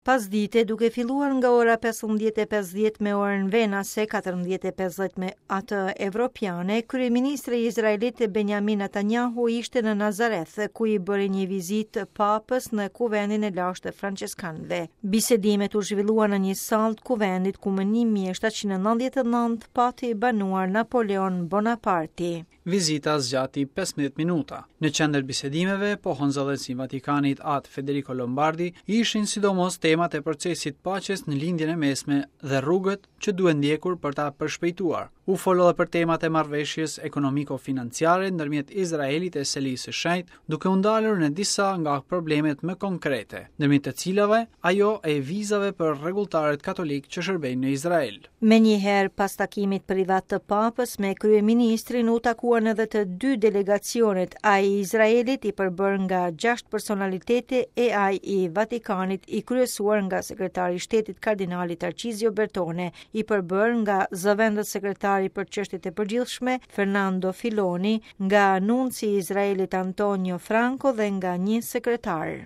Pasdite, duke filluar nga ora 15:50 me orën venase, 14:50 me atë evropiane, kryeministri izraelit Benjamin Netanyahu ishte në Nazareth, ku i bëri një vizitë papës në kuvendin e lashtë të françeskanëve. Bisedimet u zhvilluan në një sallë të kuvendit ku më 1799 pati banuar Napoleon Bonaparti. Vizita zgjati 15 minuta. Në qendër të bisedimeve, pohon zëdhënësi i Vatikanit At Federico Lombardi, ishin sidomos temat e procesit të paqes në Lindjen e Mesme dhe rrugët që duhen ndjekur për ta përshpejtuar. U fol edhe për temat e marrëveshjes ekonomiko-financiare ndërmjet Izraelit e Selisë së Shenjtë, duke u ndalur në disa nga problemet më konkrete, ndërmjet të cilave ajo e vizave për rregulltarët katolikë që shërbejnë në Izrael. Menjëherë pas takimit privat të Papës me kryeministrin u takuan edhe të dy delegacionet, ai i Izraelit i përbërë nga 6 personalitete e ai i Vatikanit i kryesuar nga sekretari i shtetit kardinali Tarcizio Bertone, i përbërë nga zëvendës sekretari për çështjet e përgjithshme Fernando Filoni, nga nunci i Izraelit Antonio Franco dhe nga një sekretar.